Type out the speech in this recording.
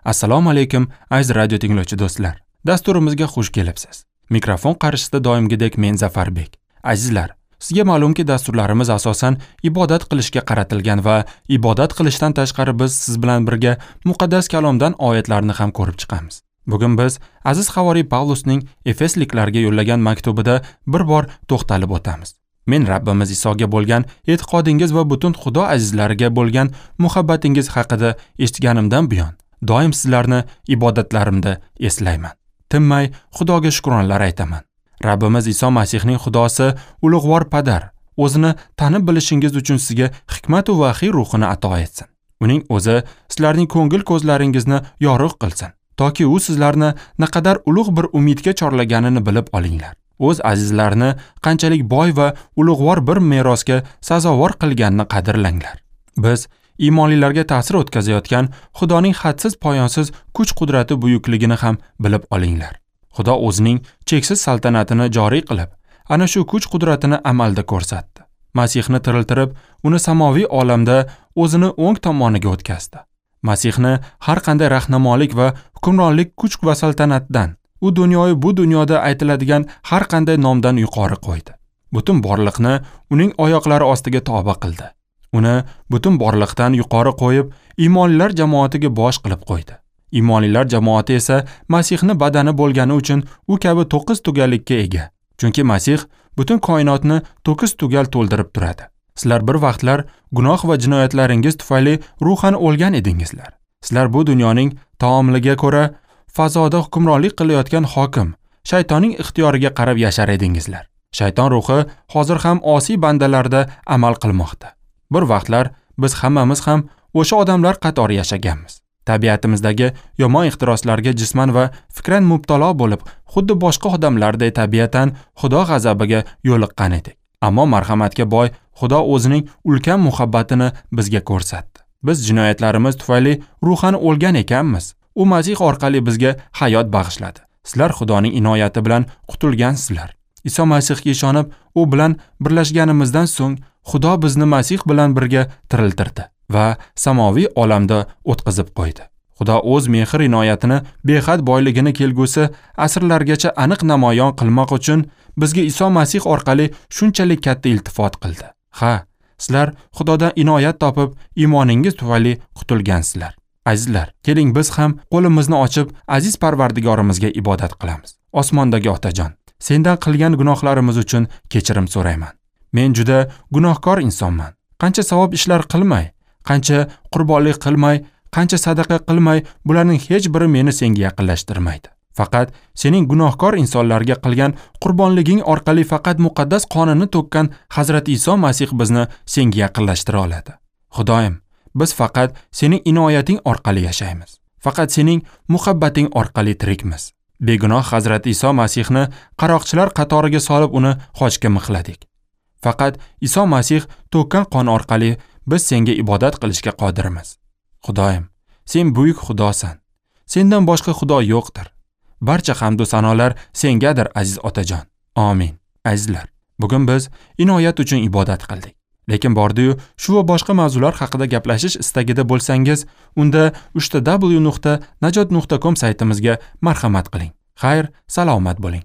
Assalomu alaykum aziz radio tinglovchi do'stlar. Dasturimizga xush kelibsiz. Mikrofon qarshisida doimgidek men Zafarbek. Azizlar, sizga ma'lumki dasturlarimiz asosan ibodat qilishga qaratilgan va ibodat qilishdan tashqari biz siz bilan birga muqaddas kalomdan oyatlarni ham ko'rib chiqamiz. Bugun biz aziz havoriy Pavlusning Efesliklarga yo'llagan maktubida bir bor to'xtalib o'tamiz. Men Rabbimiz Isoga bo'lgan e'tiqodingiz va butun Xudo azizlariga bo'lgan muhabbatingiz haqida eshitganimdan buyon doim sizlarni ibodatlarimda eslayman. Tinmay Xudoga shukronlar aytaman. Rabbimiz Iso Masihning Xudosi ulug'vor Padar o'zini tanib bilishingiz uchun sizga hikmat va vahiy ruhini ato etsin. Uning o'zi sizlarning ko'ngil ko'zlaringizni yorug' qilsin, toki u sizlarni naqadar ulug' bir umidga chorlaganini bilib olinglar. O'z azizlarini qanchalik boy va ulug'vor bir merosga sazovor qilganini qadrlanglar. Biz iymonlilarga ta'sir o'tkazayotgan Xudoning hadsiz poyonsiz kuch-qudrati buyukligini ham bilib olinglar. Xudo o'zining cheksiz saltanatini joriy qilib, ana shu kuch-qudratini amalda ko'rsatdi. Masihni tiriltirib, uni samoviy olamda o'zini o'ng tomoniga o'tkazdi. Masihni har qanday rahnamolik va hukmronlik kuch va saltanatdan, u dunyoyu bu dunyoda aytiladigan har qanday nomdan yuqori qo'ydi. Butun borliqni uning oyoqlari ostiga toba qildi. Uni butun borliqdan yuqori qo'yib, iymonlilar jamoatiga bosh qilib qo'ydi. Iymonlilar jamoati esa Masihni badani bo'lgani uchun u kabi to'qqiz tugallikka ega. Chunki Masih butun koinotni to'kis tugal to'ldirib turadi. Sizlar bir vaqtlar gunoh va jinoyatlaringiz tufayli ruhan o'lgan edingizlar. Sizlar bu dunyoning taomliga ko'ra fazoda hukmronlik qilayotgan hokim, shaytonning ixtiyoriga qarab yashar edingizlar. Shayton ruhi hozir ham osiy bandalarda amal qilmoqda. Bir vaqtlar biz hammamiz ham o'sha odamlar qatori yashaganmiz. Tabiatimizdagi yomon ehtiroslarga jisman va fikran mubtalo bo'lib, xuddi boshqa odamlarday tabiatan Xudo g'azabiga yo'liqqan edik. Ammo marhamatga boy Xudo o'zining ulkan muhabbatini bizga ko'rsatdi. Biz jinoyatlarimiz tufayli ruhan o'lgan ekanmiz. U Masih orqali bizga hayot bag'ishladi. Sizlar Xudoning inoyati bilan qutulgansizlar. Iso Masihga ishonib, u bilan birlashganimizdan so'ng Xudo bizni Masih bilan birga tiriltirdi va samoviy olamda o'tqizib qo'ydi. Xudo o'z mehr inoyatini behad boyligini kelgusi asrlargacha aniq namoyon qilmoq uchun bizga Iso Masih orqali shunchalik katta iltifot qildi. Ha, sizlar Xudodan inoyat topib, iymoningiz tufayli qutulgansizlar. Azizlar, keling biz ham qo'limizni ochib, aziz Parvardigorimizga ibodat qilamiz. Osmondagi Otajon, sendan qilgan gunohlarimiz uchun kechirim so'rayman. Men juda gunohkor insonman. Qancha savob ishlar qilmay, qancha qurbonlik qilmay, qancha sadaqa qilmay, bularning hech biri meni senga yaqinlashtirmaydi. Faqat sening gunohkor insonlarga qilgan qurbonliging orqali faqat muqaddas qonini to'kkan Hazrati Iso Masih bizni senga yaqinlashtira oladi. Xudoyim, biz faqat sening inoyating orqali yashaymiz. Faqat sening muhabbating orqali tirikmiz. Begunoh Hazrati Iso Masihni qaroqchilar qatoriga solib uni xochga mixladik. Faqat Iso Masih to'kkan qon orqali biz senga ibodat qilishga qodirmiz. Xudoyim, sen buyuk Xudosan. Sendan boshqa Xudo yo'qdir. Barcha hamd va sanolar sengadir, aziz Otajon. Amin. Azizlar, bugun biz inoyat uchun ibodat qildik. Lekin bordi-yu, shu va boshqa mavzular haqida gaplashish istagida bo'lsangiz, unda www.najot.com saytimizga marhamat qiling. Xayr, salomat bo'ling.